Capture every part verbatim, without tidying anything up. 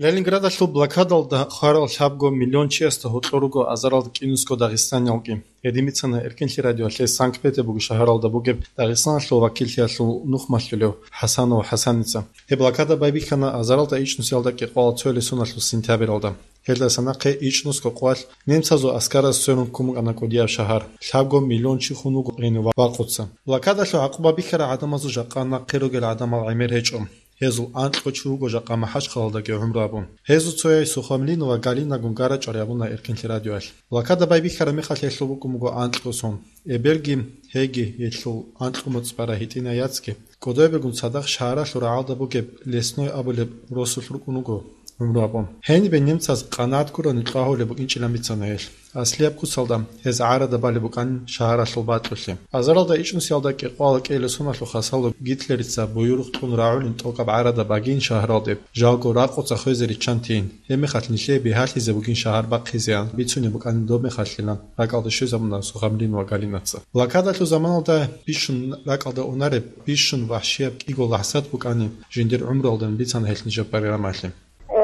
Ленинградалъул блокадалда хварал лъабго миллион чиясда гьоркьор руго азаралда кӀинусго дагъистаниялги. Гьедин бицана Эркинлъи радиоялъе Санкт-Петербург шагьаралда бугеб Дагъистаналъул вакиллъиялъул нух малъулев ХӀасанов ХӀасаница. Гьеб блокада байбихьана азаралда ичӀнусиялда кӀикъоялда цоялъул сентябралда. Гьелдаса нахъе ичӀнусго къоялъ немцазул аскараз сверун ккун букӀана кӀудияб шагьар. Лъабго миллион чи хун вуго гьенив вакъуца. Блокадалъул гӀакъуба бихьарал гӀадамазул жакъа нахъе ругел гӀадамал гӀемер гьечӀо. Гьезул анкьго чи вуго жакъа МахӀачхъалалдаги гӀумру гьабун. Гьезул цояй Сухомлинова Галинагун гара чӀвари гьабуна Эркинлъи радиоялъ. Блокада байбихьараб мехалъ гьелъул букӀун буго анкьго сон. Эбелги, гьеги гьелъул анкьго моцӀ бара гьитӀинай яцги. КӀодобегун цадахъ шагьаралъул рагӀалда бугеб Лесной абулеб росулъ рукӀун руго гӀумру гьабун. Гьенибе немцаз къанагӀат гурони кьвагьулеб букӀинчӀилан бицана гьелъ. Аслияб куцалда гьез гӀарада балеб букӀанин шагьаралъул бакьулъе. Азаралда ичӀнусиялда кӀикъоялда кӀиялъул соналъул хасало Гитлерица буюрухъ кьун рагӀулин тӀокӀаб гӀарада багин шагьаралде, жалго ракъуца хвезе риччан тейин. Гьебмехалъ нилъее бигьалъизе бугин шагьар бахъизеян бицунеб букӀанин доб мехалъилан ракӀалде щвезабуна Сухомлинова Галинаца. Блокадалъул заманалда бищун ракӀалда унареб, бищун вахӀшияб кӀиго лахӀзат букӀанин жиндир гӀумруялда бицана гьелъ нижер программалъе.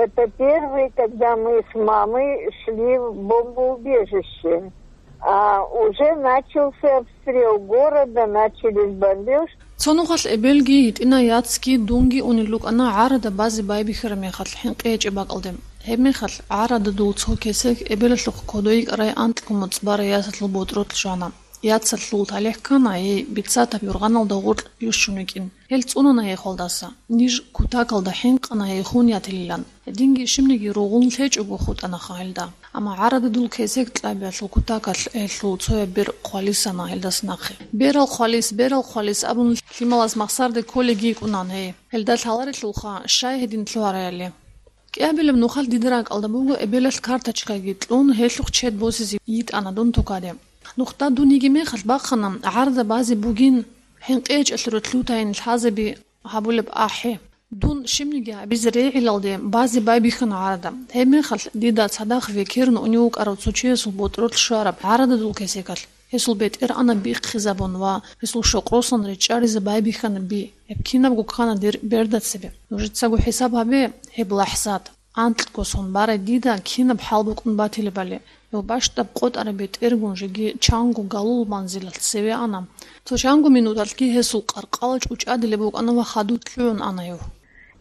Это первый, когда мы с мамой шли в бомбоубежище. А уже начался обстрел города, начались бомбёжки. Цо нухалъ эбелги, гьитӀинай яцги, дунги унел рукӀана гӀарада базе байбихьараб мехалъ хӀинкъи гьечӀеб бакӀалде. Гьебмехалъ гӀарададул цо кесек эбелалъухъ кодой йикӀарай анкьго моцӀ бара ясалъул ботӀролъ щвана. Ясалъул талихӀ ккана, гьей бицатаб юргъаналда гъоркь йищун йикӀин. Гьел цӀунана гьей хвалдаса. Ниж кутакалда хӀинкъана гьей хун ятилилан. Гьединги щибниги ругъун лъечӀого хутӀанаха гьелда. Амма гӀарададул кесек кьабиялъул кутакалъ гьелъул цояб бер хъвалисана гьелдаса нахъе. «Берал хъвалис, берал хъвалис», — абун лъималаз махсарде кколеги йикӀунан гьей. Гьелда лъаларелъулха, щай гьедин лъугьараяли. КӀиабилеб нухалъ дида ракӀалда буго эбелалъ карточкаги кьун, гьелъухъ чед босизе йитӀана дун тукаде. Нухда дун йигеб мехалъ бахъана, гӀарада базе бугин, хӀинкъи гьечӀелъул ролъи лъутайин лъазаби гьабулеб ахӀи. Дун щибниги гьабизе регӀилалде базе байбихьана гӀарада. Гьебмехалъ дида цадахъ векерун унев вукӀарав цо чиясул ботӀролъ щвараб гӀарададул кесекалъ. Гьесул бетӀергьанаб бихъизабун ва гьесул щокъросан речӀчӀаризе байбихьана би. Гьеб кинабго ккана дир берда цебе. Нужецаго хӀисаб гьабе гьеб лахӀзат. Анкьго сон барай дида кинаб хӀал букӀун батилебали. Гьев бащдаб къотӀараб бетӀергун жеги чанго галул манзилалъ цеве ана. Цо чанго минуталъги гьесул къаркъала чӀучӀадилеб букӀана ва хадуб лъугӀун ана гьев.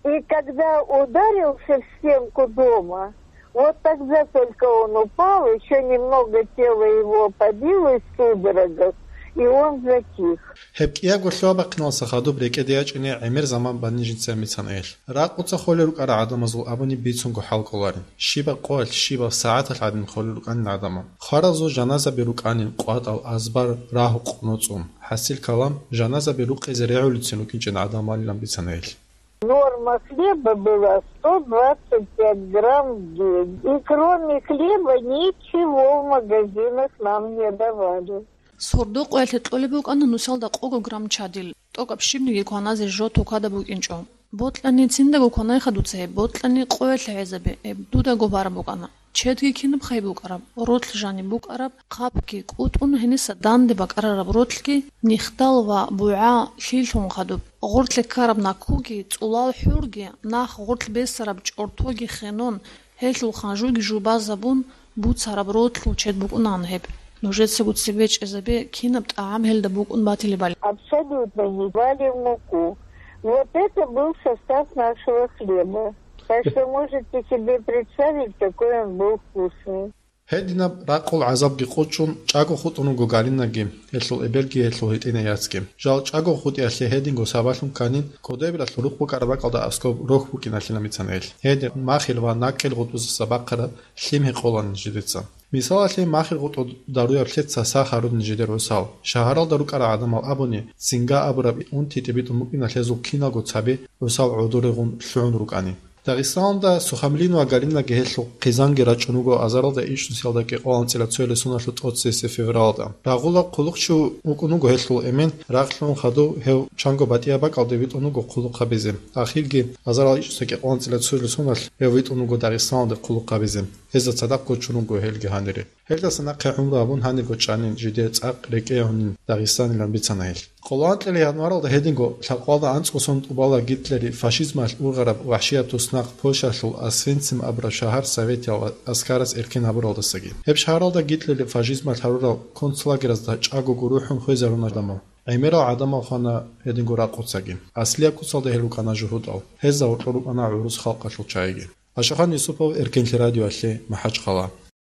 И когда ударился в стенку дома, вот тогда только он упал, ещё немного тело его побилось в судорогах, и он затих. Гьеб кӀиябго лъугьа-бахъиналдаса хадуб рекӀеде ячӀине гӀемер заман бани жинца бицана гьелъ. Ракъуца холел рукӀарал гӀадамазул абуни бицунго хӀал кколарин. Щибаб къоялъ, щибаб сагӀаталъ гӀадин холел рукӀанин гӀадамал. Хваразул жаназаби рукӀанин къватӀал азбар рагьукъ ноцӀун. ХӀасил калам, жаназаби рукъизе регӀулецин рукӀинчӀин гӀадамалилан бицана гьелъ. Норма хлеба была сто двадцать пять грамм в день. И кроме хлеба ничего в магазинах нам не давали. Сордо къоялъе кьолеб букӀана нусалда къого грамм чадил, тӀокӀаб щибниги кваназе жо тукада букӀинчӀо. Бокьани циндаго кванайха дуца гьеб, бокьани къоялъе гӀезабе, гьеб дудаго бараб букӀана. Чедги кинаб хай букӀараб, ролъ жаниб букӀараб, хъапги кӀутӀун гьениса данде бакӀарараб ролъги, нихтал ва бугӀа лъилъун хадуб, гъорлъе ккараб накуги, цӀулал хӀурги, нах гъорлъ бесараб чӀортоги хенон, гьелъул ханжуги жубазабун буцараб ролъул чед букӀунаан гьеб. Нужецаго цебе чӀезабе, кинаб тӀагӀам гьелда букӀун батилебали. Абсолютно не вали в муку. Вот это был состав нашего хлеба. Так что можете себе представить, какой он был вкусный. Гьединаб ракъул гӀазабги къучӀун, чӀаго хутӀун вуго Галинаги, гьелъул эбелги, гьелъул гьитӀинай яцги. Жал чӀаго хутӀиялъе гьединго сабаблъун кканин, кодобилалъул рукъ букӀараб бакӀалда аскӀоб рохь букӀиналъилан бицана гьелъ. Гьедин махил ва накил гъутӀбузаса бахъараб лъим гьекъолан жидеца. Мисалалъе, махил гъутӀу даруяблъи цаса гьарун жидер гӀусал. Шагьаралда рукӀарал гӀадамал абуни, цинга абураб унти тӀибитӀун букӀиналъ гьезул киналго цаби гӀусал гӀодорегъун лъугӀун рукӀани. Дагъистаналда Сухомлинова Галинаги гьелъул хъизанги рачӀун вуго азаралда ичӀнусиялда кӀикъоялда анцӀила цоялъул соналъул тӀоцебесеб февралда. Рагъула хъулухъчи вукӀун вуго гьелъул эмен, рагълъун хадув гьев чанго батӀияб бакӀалде витӀун вуго хъулухъ гьабизе. Ахирги азарал ичӀнусиялда кӀикъоялда анцӀила цоялъул соналъ гьев витӀун вуго Дагъистаналде хъулухъ гьабизе. Гьезда цадахъ гочун вуго гьелги гьанире. Гьелдаса нахъе гӀумру гьабун гьанирго чӀанин жидер цӀакъ рекӀее гьунин Дагъистанилан бицана гьелъ. Къоло анкьили январалда гьединго лъабкъоялда анцӀго сон тӀубала Гитлерил фашизмалъ ургъараб вахӀшияб туснахъ Польшалъул Освенцим абураб шагьар советиял аскарас эркен гьабуралдасаги. Гьеб шагьаралда Гитлерил фашизмалъ гьарурал концлагеразда чӀагого рухӀун хвезаруна гӀадамал. ГӀемерал гӀадамал хвана гьединго ракъуцаги. Аслияб куцалда гьел рукӀана жугьутӀал. Гьезда гьоркьор рукӀана гӀурус халкъалъул чагӀиги. Ашахан Юсупов, Эркенлъи радиоялъе, МахӀачхъала.